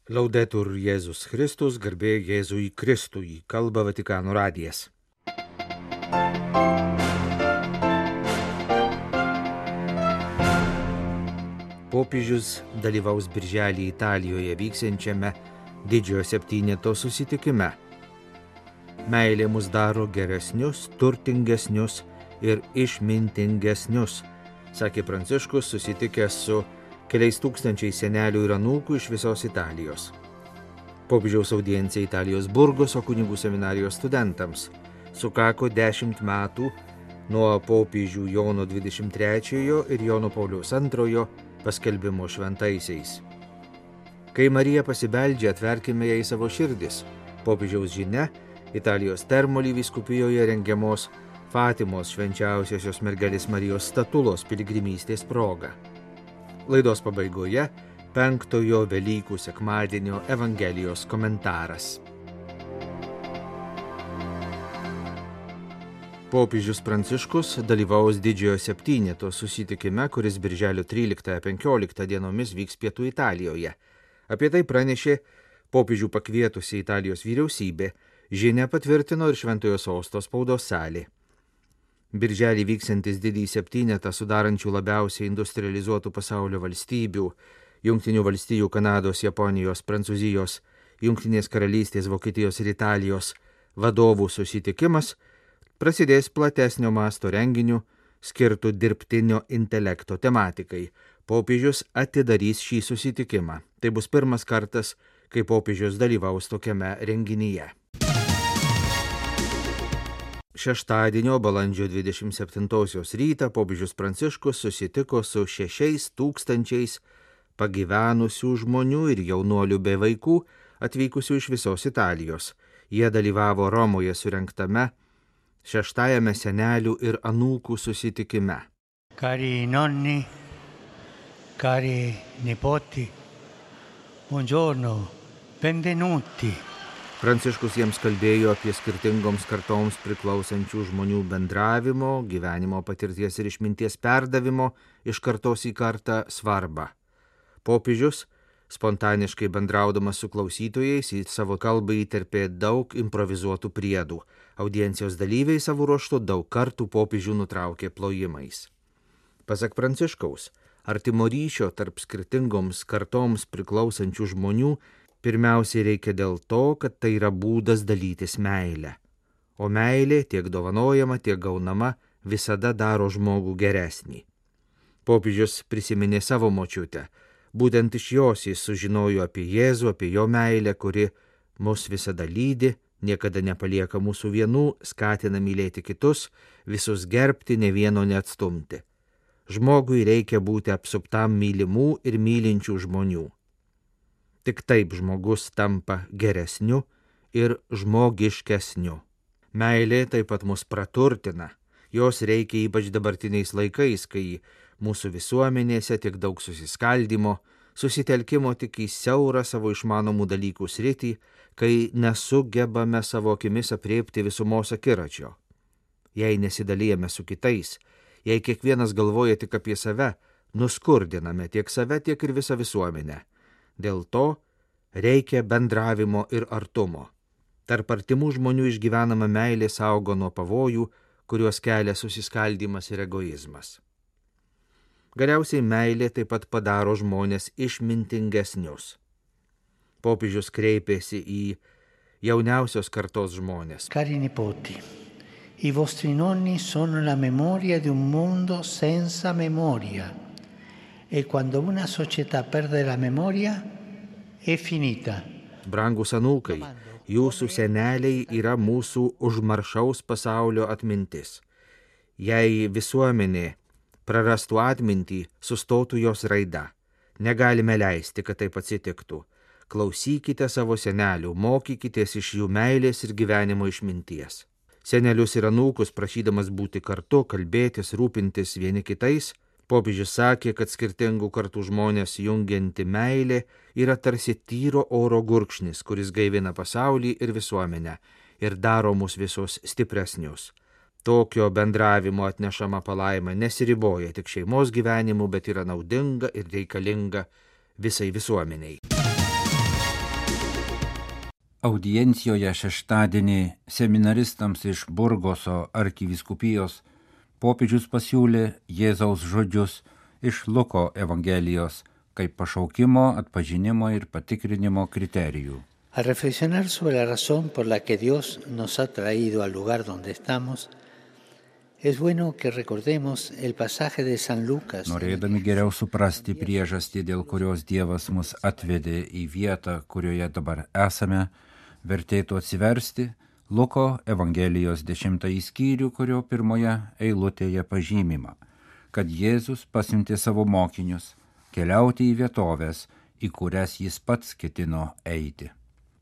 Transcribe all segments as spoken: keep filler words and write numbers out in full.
Laudetur Jėzus Kristus, garbė Jėzui Kristui, kalba Vatikano radijas. Popiežius dalyvaus birželį Italijoje vyksiančiame Didžiojo septyneto susitikime. Meilė mus daro geresnius, turtingesnius ir išmintingesnius, sakė Pranciškus, susitikęs su keliais tūkstančiais senelių ir anūkų iš visos Italijos. Popiežiaus audiencija Italijos Burgoso kunigų seminarijos studentams sukako dešimt metų nuo popiežių Jono dvidešimt trečiojo ir Jono Pauliaus antrojo paskelbimo šventaisiais. Kai Marija pasibeldžia, atverkime jai savo širdis. Popiežiaus žinia Italijos Termoli vyskupijoje rengiamos Fatimos švenčiausiosios mergelės Marijos statulos piligrimystės proga. Laidos pabaigoje penktojo Velykų sekmadienio Evangelijos komentaras. Popiežius Pranciškus dalyvaus Didžiojo septyneto susitikime, kuris birželio tryliktą penkioliktą dienomis vyks Pietų Italijoje. Apie tai pranešė popiežių pakvietusi Italijos vyriausybė, žinią patvirtino ir Šventojo Sosto spaudos salė. Birželį vyksiantis Didįjį septynetą sudarančių labiausiai industrializuotų pasaulio valstybių – Jungtinių valstijų, Kanados, Japonijos, Prancūzijos, Jungtinės karalystės, Vokietijos ir Italijos vadovų susitikimas prasidės platesnio masto renginiu skirtų dirbtinio intelekto tematikai. Popiežius atidarys šį susitikimą. Tai bus pirmas kartas, kai popiežius dalyvaus tokiame renginyje. Šeštadienio balandžio dvidešimt septintosios rytą popiežius Pranciškus susitiko su šešiais tūkstančiais pagyvenusių žmonių ir jaunuolių bei vaikų atvykusių iš visos Italijos. Jie dalyvavo Romoje surengtame šeštajame senelių ir anūkų susitikime. Cari nonni, cari nipoti, buongiorno, benvenuti. Pranciškus jiems kalbėjo apie skirtingoms kartoms priklausančių žmonių bendravimo, gyvenimo patirties ir išminties perdavimo iš kartos į kartą svarbą. Popiežius, spontaniškai bendraudamas su klausytojais, į savo kalbą įterpė daug improvizuotų priedų. Audiencijos dalyviai savo ruožtu daug kartų popiežių nutraukė plojimais. Pasak Pranciškaus, artimo ryšio tarp skirtingoms kartoms priklausančių žmonių pirmiausiai reikia dėl to, kad tai yra būdas dalytis meilę. O meilė, tiek dovanojama, tiek gaunama, visada daro žmogų geresnį. Popiežius prisiminė savo močiutę. Būtent iš jos jis sužinojo apie Jėzų, apie jo meilę, kuri mus visada lydi, niekada nepalieka mūsų vienų, skatina mylėti kitus, visus gerbti, ne vieno neatstumti. Žmogui reikia būti apsuptam mylimų ir mylinčių žmonių. Tik taip žmogus tampa geresniu ir žmogiškesniu. Meilė taip pat mus praturtina. Jos reikia ypač dabartiniais laikais, kai mūsų visuomenėse tiek daug susiskaldimo, susitelkimo tik į siaurą savo išmanomų dalykų sritį, kai nesugebame savo akimis apriepti visumos akiračio. Jei nesidalijame su kitais, jei kiekvienas galvoja tik apie save, nuskurdiname tiek save, tiek ir visą visuomenę. Dėl to reikia bendravimo ir artumo. Tarp artimų žmonių išgyvenama meilė saugo nuo pavojų, kuriuos kelia susiskaldymas ir egoizmas. Galiausiai meilė taip pat padaro žmonės išmintingesnius. Popiežius kreipėsi į jauniausios kartos žmonės. Cari nipoti, i vostri nonni sono la memoria di un mondo senza memoria. E quando una società perde la memoria, è finita. Brangus anūkai, jūsų seneliai yra mūsų užmaršaus pasaulio atmintis. Jei visuomenė prarastų atmintį, sustotų jos raida. Negalime leisti, kad taip atsitiktų. Klausykite savo senelių, mokykitės iš jų meilės ir gyvenimo išminties. Senelius ir anūkus prašydamas būti kartu, kalbėtis, rūpintis vieni kitais, popiežius sakė, kad skirtingų kartų žmonės jungianti meilė yra tarsi tyro oro gurkšnis, kuris gaivina pasaulį ir visuomenę ir daro mus visus stipresnius. Tokio bendravimo atnešama palaima nesiriboja tik šeimos gyvenimu, bet yra naudinga ir reikalinga visai visuomeniai. Audiencijoje šeštadienį seminaristams iš Burgoso arkivyskupijos popiežius pasiūlė Jėzaus žodžius iš Luko Evangelijos kaip pašaukimo, atpažinimo ir patikrinimo kriterijų. Al reflexionar sobre la razón por la que Dios nos ha traído al lugar donde estamos, es bueno que recordemos el pasaje de San Lucas. Norėdami geriau suprasti priežastį, dėl kurios Dievas mus atvedė į vietą, kurioje dabar esame, vertėtų atsiversti Luko Evangelijos dešimtąjį skyrių, kurio pirmoje eilutėje pažymima, kad Jėzus pasiuntė savo mokinius keliauti į vietovės, į kurias jis pats ketino eiti.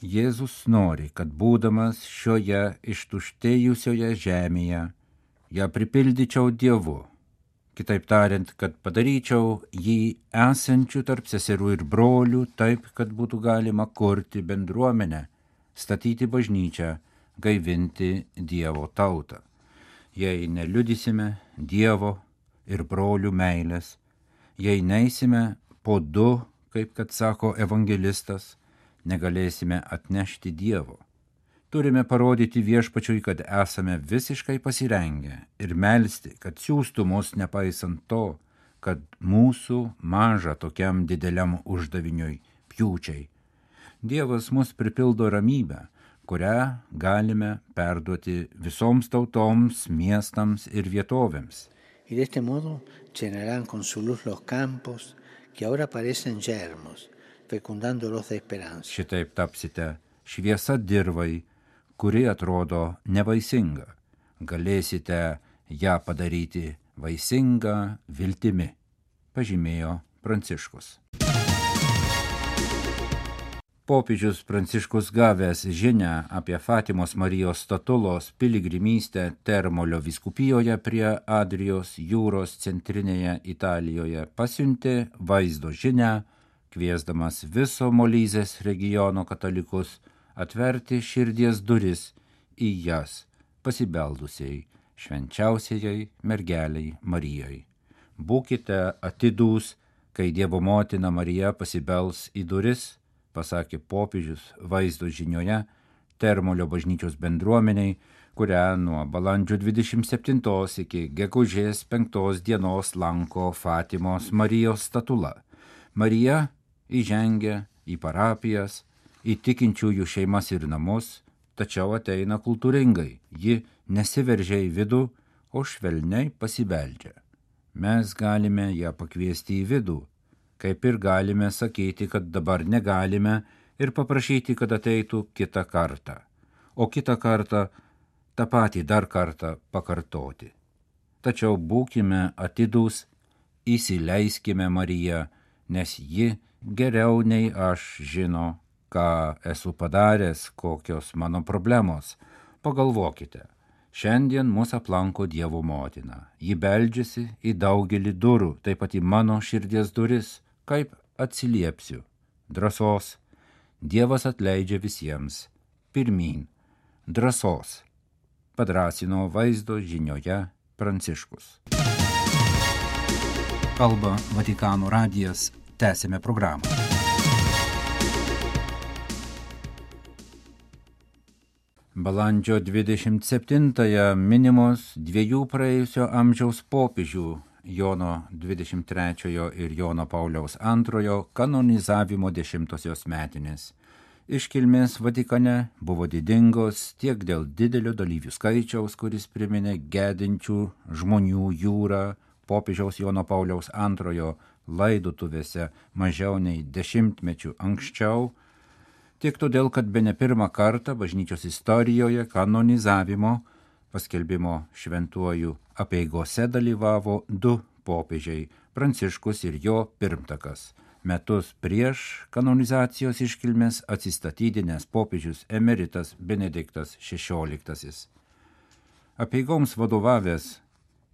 Jėzus nori, kad būdamas šioje ištuštėjusioje žemėje, ją pripildyčiau Dievu, kitaip tariant, kad padaryčiau jį esančių tarp seserų ir brolių taip, kad būtų galima kurti bendruomenę, statyti bažnyčią, gaivinti Dievo tautą. Jei neliudysime Dievo ir brolių meilės, jei neisime po du, kaip kad sako evangelistas, negalėsime atnešti Dievo. Turime parodyti viešpačiui, kad esame visiškai pasirengę ir melsti, kad siųstų mus nepaisant to, kad mūsų maža tokiam dideliam uždaviniui pjūčiai. Dievas mus pripildo ramybę, kurią galime perduoti visoms tautoms, miestams ir vietovėms. Y de este modo llenarán con su luz los campos que ahora parecen yermos, fecundándolos de esperanza. Šitaip tapsite šviesa dirvai, kuri atrodo nevaisinga. Galėsite ją padaryti vaisingą viltimi, pažymėjo Pranciškus. Popiežius Pranciškus gavęs žinią apie Fatimos Marijos statulos piligrimystę Termolio vyskupijoje prie Adrijos jūros centrinėje Italijoje pasiuntė vaizdo žinią, kviesdamas viso Molizės regiono katalikus atverti širdies duris į jas pasibeldusiai švenčiausiai mergeliai Marijai. Būkite atidūs, kai Dievo motina Marija pasibels į duris, pasakė popiežius vaizdo žinioje Termolio bažnyčios bendruomeniai, kurią nuo balandžio dvidešimt septintos iki gegužės penktos dienos lanko Fatimos Marijos statula. Marija įžengia į parapijas, į tikinčiųjų šeimas ir namus, tačiau ateina kultūringai. Ji nesiveržia į vidų, o švelniai pasibeldžia. Mes galime ją pakviesti į vidų, kaip ir galime sakyti, kad dabar negalime ir paprašyti, kad ateitų kitą kartą, o kitą kartą tą patį dar kartą pakartoti. Tačiau būkime atidūs, įsileiskime Mariją, nes ji geriau nei aš žino, ką esu padaręs, kokios mano problemos. Pagalvokite, šiandien mus aplanko Dievo motina. Ji beldžiasi į daugelį durų, taip pat į mano širdies duris. Kaip atsiliepsiu? Drąsos. Dievas atleidžia visiems. Pirmyn. Drąsos. Padrąsino vaizdo žinioje Pranciškus. Kalba Vatikano radijas. Tęsime programą. Balandžio dvidešimt septintąją minimos dviejų praėjusio amžiaus popiežių Jono dvidešimt trečiojo ir Jono Pauliaus antrojo kanonizavimo dešimtosios metinės. Iškilmės Vatikane buvo didingos tiek dėl didelio dalyvių skaičiaus, kuris priminė gedinčių žmonių jūrą popiežiaus Jono Pauliaus antrojo laidotuvėse mažiau nei dešimtmečių anksčiau, tiek todėl, kad bene pirmą kartą bažnyčios istorijoje kanonizavimo paskelbimo šventuoju apeigose dalyvavo du popiežiai – Pranciškus ir jo pirmtakas. Metus prieš kanonizacijos iškilmės atsistatydinęs popiežius emeritas Benediktas šešioliktasis. Apeigoms vadovavęs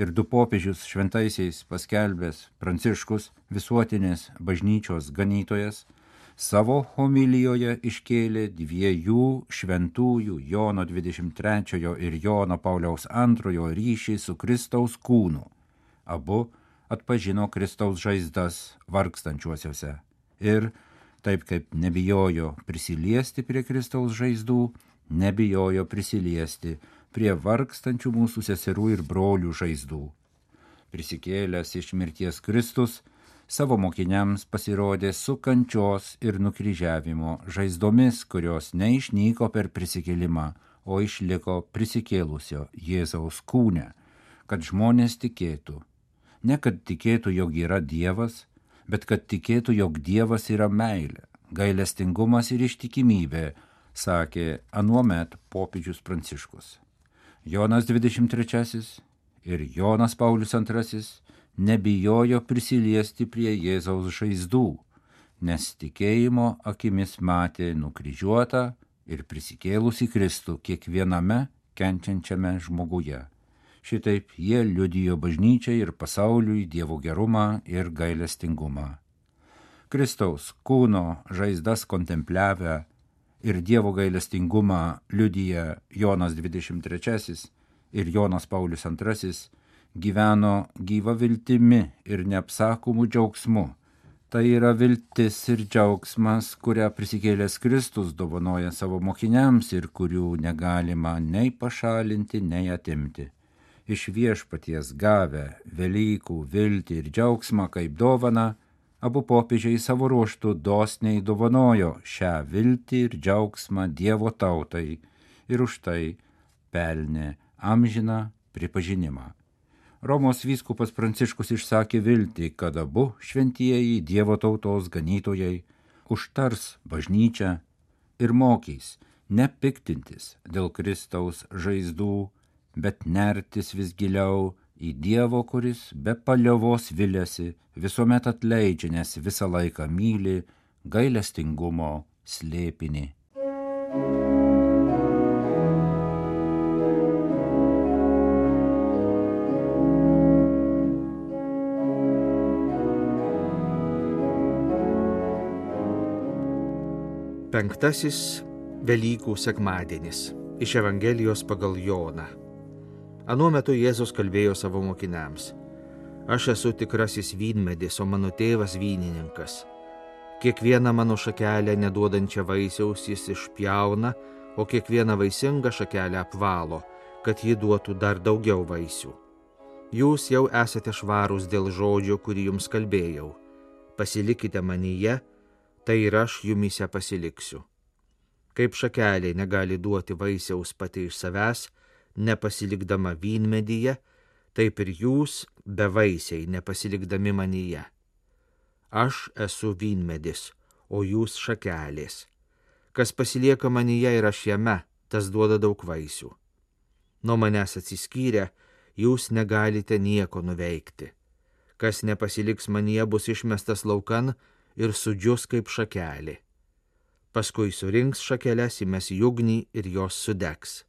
ir du popiežius šventaisiais paskelbęs Pranciškus, visuotinės bažnyčios ganytojas, savo homilijoje iškėlė dviejų šventųjų Jono dvidešimt trečiojo ir Jono Pauliaus antrojo ryšį su Kristaus kūnu. Abu atpažino Kristaus žaizdas vargstančiuosiuose ir Taip kaip nebijojo prisiliesti prie Kristaus žaizdų, nebijojo prisiliesti prie vargstančių mūsų seserų ir brolių žaizdų. Prisikėlęs iš mirties Kristus savo mokiniams pasirodė su kančios ir nukryžiavimo žaizdomis, kurios neišnyko per prisikėlimą, o išliko prisikėlusio Jėzaus kūne, kad žmonės tikėtų. Ne kad tikėtų, jog yra Dievas, bet kad tikėtų, jog Dievas yra meilė, gailestingumas ir ištikimybė, sakė anuomet popiežius Pranciškus. Jonas dvidešimt trečiasis ir Jonas Paulius antrasis nebijojo prisiliesti prie Jėzaus žaizdų, nes tikėjimo akimis matė nukryžiuotą ir prisikėlusį Kristų kiekviename kenčiančiame žmoguje. Šitaip jie liudijo bažnyčiai ir pasauliui Dievo gerumą ir gailestingumą. Kristaus kūno žaizdas kontempliavę ir Dievo gailestingumą liudija Jonas dvidešimt trečiasis ir Jonas Paulius antrasis, gyveno gyva viltimi ir neapsakomų džiaugsmu. Tai yra viltis ir džiaugsmas, kurią prisikėlęs Kristus dovanoja savo mokiniams ir kurių negalima nei pašalinti, nei atimti. Iš viešpaties gavę Velykų viltį ir džiaugsmą kaip dovaną, abu popiežiai savo ruožtu dosniai dovanojo šią viltį ir džiaugsmą Dievo tautai ir už tai pelnė amžiną pripažinimą. Romos vyskupas Pranciškus išsakė viltį, kad abu šventieji Dievo tautos ganytojai užtars bažnyčią ir mokys nepiktintis dėl Kristaus žaizdų, bet nertis vis giliau į Dievo, kuris be paliovos viliasi, visuomet atleidžia, nes visą laiką myli gailestingumo slėpinį. Penktasis Velykų sekmadienis iš Evangelijos pagal Joną. Anuo metu Jėzus kalbėjo savo mokiniams: Aš esu tikrasis vynmedis, o mano tėvas vynininkas. Kiekvieną mano šakelę neduodančią vaisiaus jis išpjauna, o kiekvieną vaisingą šakelę apvalo, kad ji duotų dar daugiau vaisių. Jūs jau esate švarūs dėl žodžio, kurį jums kalbėjau. Pasilikite manyje, tai ir aš jumyse pasiliksiu. Kaip šakelė negali duoti vaisiaus pati iš savęs, nepasilikdama vynmedyje, taip ir jūs bevaisiai nepasilikdami manyje. Aš esu vynmedis, o jūs šakelės. Kas pasilieka manyje ir aš jame, tas duoda daug vaisių. Nuo manęs atsiskyrę, jūs negalite nieko nuveikti. Kas nepasiliks manyje, bus išmestas laukan ir sudžius kaip šakelė. Paskui surinks šakeles, įmes į ugnį ir jos sudegs.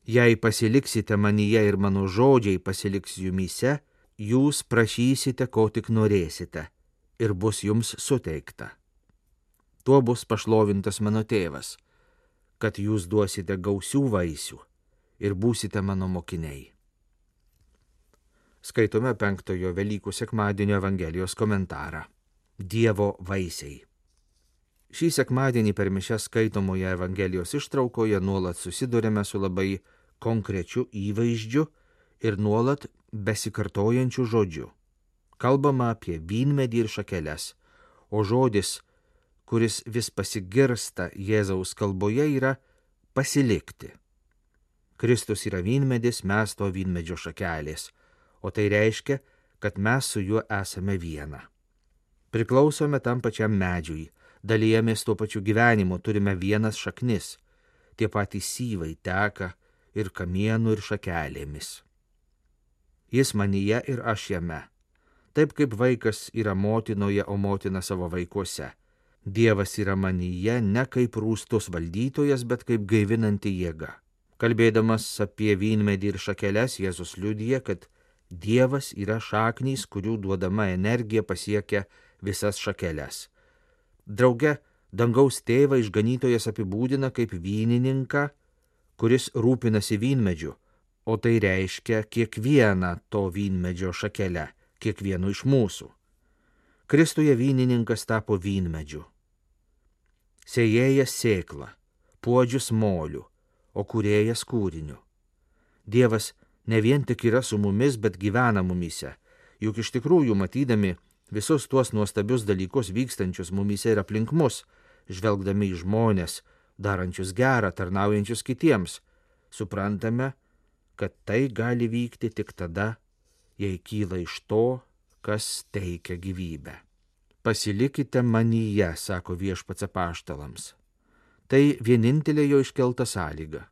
Jei pasiliksite manyje ir mano žodžiai pasiliks jumyse, jūs prašysite, ko tik norėsite, ir bus jums suteikta. Tuo bus pašlovintas mano tėvas, kad jūs duosite gausių vaisių ir būsite mano mokiniai. Skaitome penktojo Velykų sekmadienio Evangelijos komentarą. Dievo vaisiai. Šį sekmadienį per mišias skaitomoje Evangelijos ištraukoje nuolat susidurėme su labai konkrečiu įvaizdžiu ir nuolat besikartojančiu žodžiu. Kalbama apie vynmedį ir šakeles, o žodis, kuris vis pasigirsta Jėzaus kalboje, yra pasilikti. Kristus yra vynmedis, mes to vynmedžio šakelės, o tai reiškia, kad mes su juo esame viena. Priklausome tam pačiam medžiui, dalijamės tuo pačiu gyvenimu, turime vienas šaknis, tie patys syvai teka ir kamienų ir šakelėmis. Jis manyje ir aš jame, taip kaip vaikas yra motinoje, o motina savo vaikuose. Dievas yra manyje ne kaip rūstus valdytojas, bet kaip gaivinanti jėga. Kalbėdamas apie vynmedį ir šakeles, Jėzus liudija, kad Dievas yra šaknys, kurių duodama energija pasiekia visas šakeles. Drauge, dangaus tėvą išganytojas apibūdina kaip vynininką, kuris rūpinasi vynmedžiu, o tai reiškia kiekvieną to vynmedžio šakelę, kiekvienu iš mūsų. Kristuje vynininkas tapo vynmedžiu. sėjėjas sėklą, puodžius molių, o kūrėjas kūriniu. Dievas ne vien tik yra su mumis, bet gyvena mumyse, juk iš tikrųjų matydami visus tuos nuostabius dalykus vykstančius mumyse ir aplink mus, žvelgdami į žmonės, darančius gerą, tarnaujančius kitiems, suprantame, kad tai gali vykti tik tada, jei kyla iš to, kas teikia gyvybę. Pasilikite manyje, sako viešpats apaštalams. Tai vienintelė jo iškelta sąlyga.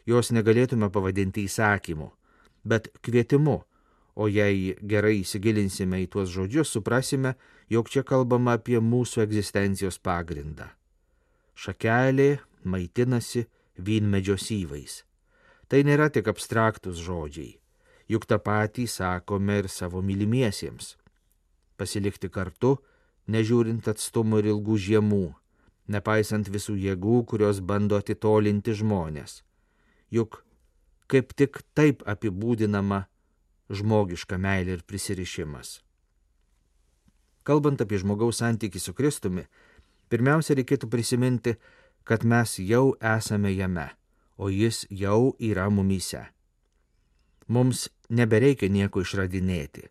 Jos negalėtume pavadinti įsakymu, bet kvietimu, o jei gerai įsigilinsime į tuos žodžius, suprasime, jog čia kalbama apie mūsų egzistencijos pagrindą. Šakelė maitinasi vynmedžio syvais. Tai nėra tik abstraktus žodžiai, juk tą patį sakome ir savo mylimiesiems. Pasilikti kartu, nežiūrint atstumų ir ilgų žiemų, nepaisant visų jėgų, kurios bando atitolinti žmonės. Juk kaip tik taip apibūdinama žmogiška meilė ir prisirišimas. Kalbant apie žmogaus santykį su Kristumi, pirmiausia reikėtų prisiminti, kad mes jau esame jame, o jis jau yra mumyse. Mums nebereikia nieko išradinėti,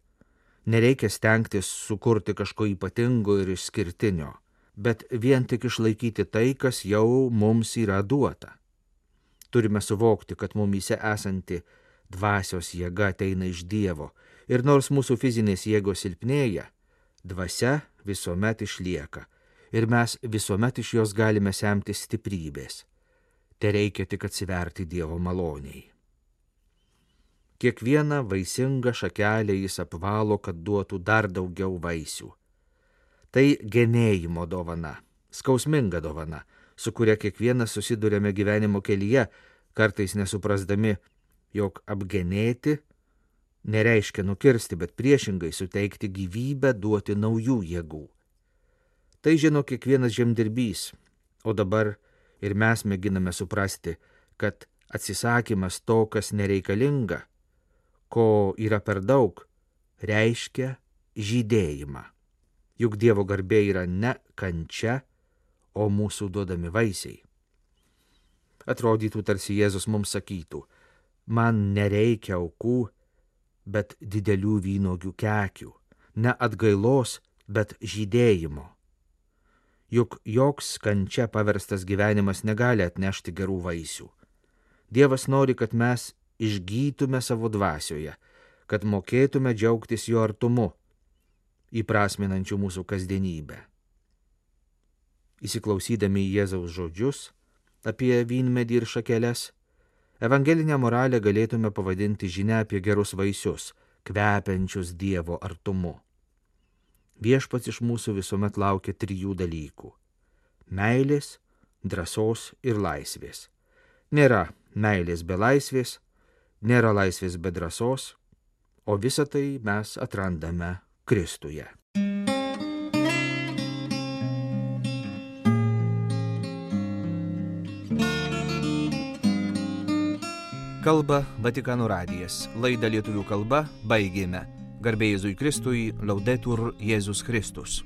nereikia stengtis sukurti kažko ypatingo ir išskirtinio, bet vien tik išlaikyti tai, kas jau mums yra duota. Turime suvokti, kad mumyse esanti dvasios jėga ateina iš Dievo ir nors mūsų fizinės jėgos silpnėja, dvasia visuomet išlieka ir mes visuomet iš jos galime semti stiprybės. Te reikia tik atsiverti Dievo maloniai. Kiekvieną vaisingą šakelę jis apvalo, kad duotų dar daugiau vaisių. Tai genėjimo dovana, skausminga dovana, su kuria kiekvienas susidurėme gyvenimo kelyje, kartais nesuprasdami, jog apgenėti nereiškia nukirsti, bet priešingai suteikti gyvybę, duoti naujų jėgų. Tai žino kiekvienas žemdirbys, o dabar ir mes mėginame suprasti, kad atsisakymas to, kas nereikalinga, ko yra per daug, reiškia žydėjimą. Juk Dievo garbė yra ne kančia, o mūsų duodami vaisiai. Atrodytų, tarsi Jėzus mums sakytų, man nereikia aukų, bet didelių vynuogių kekių, ne atgailos, bet žydėjimo. Juk joks kančia paverstas gyvenimas negali atnešti gerų vaisių. Dievas nori, kad mes išgytume savo dvasioje, kad mokėtume džiaugtis jo artumu, įprasminančių mūsų kasdienybę. Įsiklausydami į Jėzaus žodžius apie vynmedį ir šakeles, evangelinę moralę galėtume pavadinti žinia apie gerus vaisius, kvepiančius Dievo artumu. Viešpats iš mūsų visuomet laukia trijų dalykų – meilės, drąsos ir laisvės. Nėra meilės be laisvės, nėra laisvės be drąsos, o visą tai mes atrandame Kristuje. Kalba Vatikano radijas. Laidą lietuvių kalba baigėme. Garbė Jėzui Kristui, Laudetur Jėzus Kristus.